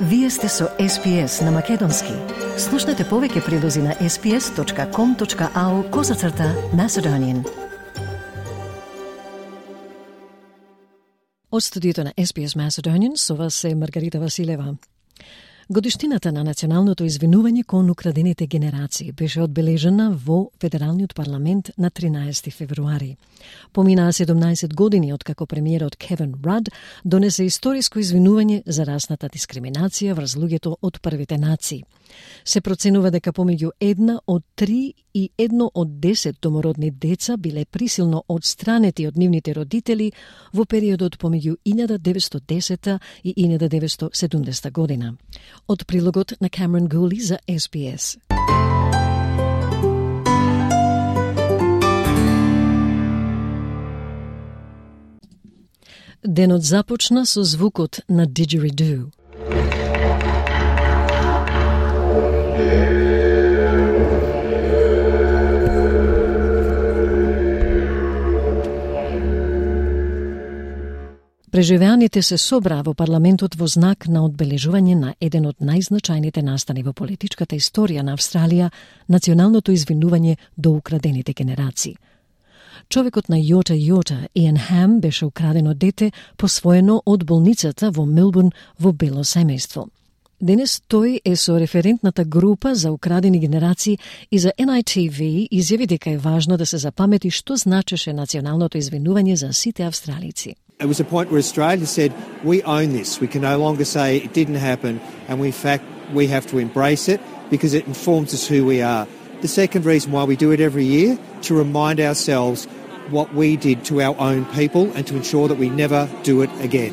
Вие сте со SPS на Македонски. Слушнете повеќе прилози на sps.com.au/Macedonian. Од студиото на SPS Macedonian со вас е Маргарита Василева. Годиштината на националното извинување кон украдените генерации беше одбележена во Федералниот парламент на 13 февруари. Поминаа 17 години откако премиерот Кевин Рад донесе историско извинување за расната дискриминација врз луѓето од првите нации. Се проценува дека помеѓу 1 од 3 и 1 од 10 домородни деца биле присилно одстранети од нивните родители во периодот помеѓу 1910 и 1970 година. Од прилогот на Камерон Гули за SPS. Денот започна со звукот на диџериду. Преживеаните се собраа во парламентот во знак на одбележување на еден од најзначајните настани во политичката историја на Австралија, националното извинување до украдените генерации. Човекот на Йота, Иан Хам, беше украдено дете, посвоено од болницата во Мелбурн во бело семејство. Денес тој е со референтната група за украдени генерации и за NITV изјави дека е важно да се запамети што значеше националното извинување за сите австралици. It was a point where Australia said, we own this. We can no longer say it didn't happen, and in fact, we have to embrace it because it informs us who we are. The second reason why we do it every year, to remind ourselves what we did to our own people and to ensure that we never do it again.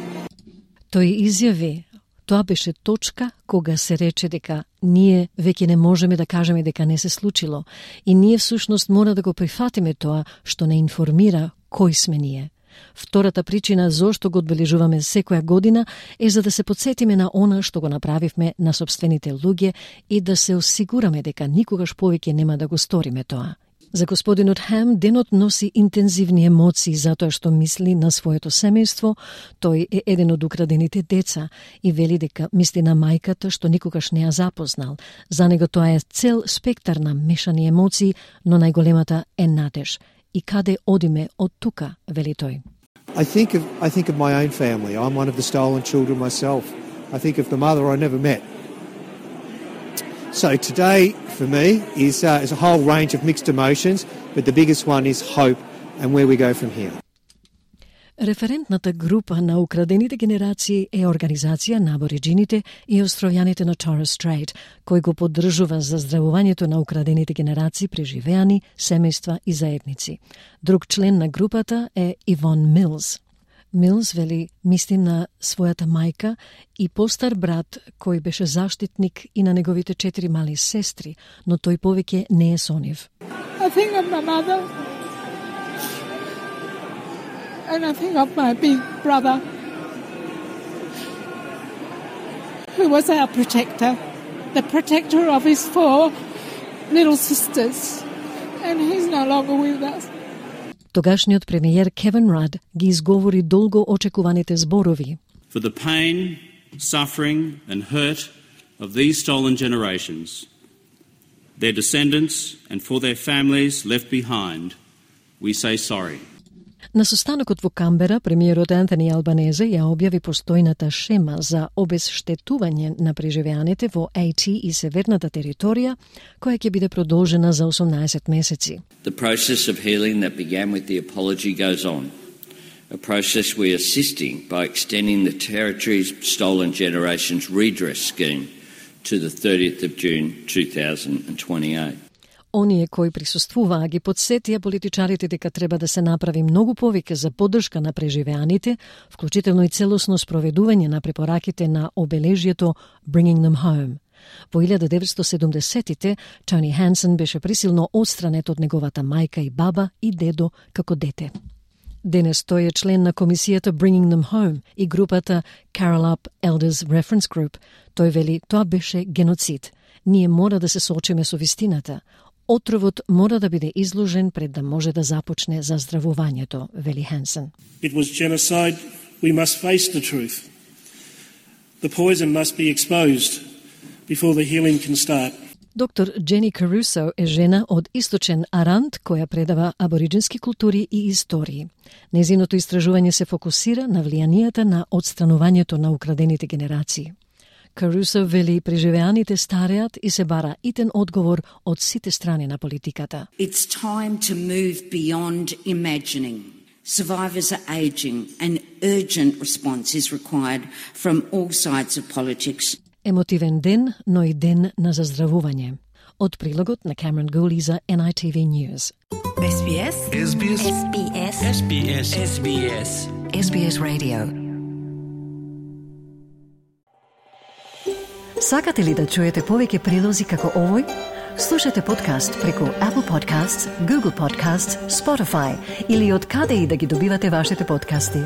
Тој изјави, тоа беше точка кога се рече дека ние веќе не можеме да кажеме дека не се случило и ние всушност мора да го прифатиме тоа што не информира кој сме ние. Втората причина зошто го одбележуваме секоја година е за да се потсетиме на она што го направивме на сопствените луѓе и да се осигураме дека никогаш повеќе нема да го сториме тоа. За господинот Хам, денот носи интензивни емоции затоа што мисли на своето семејство. Тој е еден од украдените деца и вели дека мисли на мајката што никогаш не ја запознал. За него тоа е цел спектар на мешани емоции, но најголемата е надеж. И каде одиме од тука, вели тој. I think of my own family. I'm one of the stolen children myself. I think of the mother I never met. So today, for me, is a whole range of mixed emotions, but the biggest one is hope and where we go from here. Референтната група на украдените генерации е организација на абориджините и островјаните на Torres Strait, кој го поддржува заздравувањето на украдените генерации преживеани, семејства и заедници. Друг член на групата е Ивон Милс. Милс вели мисли на својата мајка и постар брат кој беше заштитник и на неговите 4 мали сестри, но тој повеќе не е со нив. I think of my mother. And I think of my big brother, who was our protector, the protector of his 4 little sisters, and he's no longer with us. Тогашниот премиер Кевин Рад ги изговори долго очекуваните зборови. For the pain, suffering and hurt of these stolen generations, their descendants and for their families left behind, we say sorry. На состанокот во Камбера, премиерот Антони Албанезе ја објави постојната шема за обезштетување на преживеаните во AT и северната територија, која ќе биде продолжена за 18 месеци. The process of healing that began with the apology goes on. A process we are assisting by extending the Territory's Stolen Generations Redress Scheme to the 30th of June 2028. Оние кои присуствуваа ги подсетија политичарите дека треба да се направи многу повеќе за поддршка на преживеаните, вклучително и целосно спроведување на препораките на обележјето Bringing Them Home. Во 1970-тите, Тони Хансен беше присилно одстранет од неговата мајка и баба и дедо како дете. Денес тој е член на комисијата Bringing Them Home и групата Carol Up Elders Reference Group. Тој вели, тоа беше геноцид. Ние мора да се соочиме со вистината. Отровот мора да биде изложен пред да може да започне заздравувањето, вели Хансен. It was genocide. We must face the truth. The poison must be exposed before the healing can start. Доктор Джени Карусо е жена од Источен Арант која предава абориджински култури и истории. Незиното истражување се фокусира на влијанието на отстранувањето на украдените генерации. Карусо вели преживеаните стареат и се бара итен одговор од сите страни на политиката. It's time to move beyond imagining. Survivors are aging and urgent response is required from all sides of politics. Емотивен ден, но и ден на заздравување. Од прилогот на Cameron Gooley за NITV News. SBS SBS SBS SBS SBS SBS Radio. Сакате ли да чуете повеќе прилози како овој? Слушате подкаст преку Apple Podcasts, Google Podcasts, Spotify или од каде и да ги добивате вашите подкасти.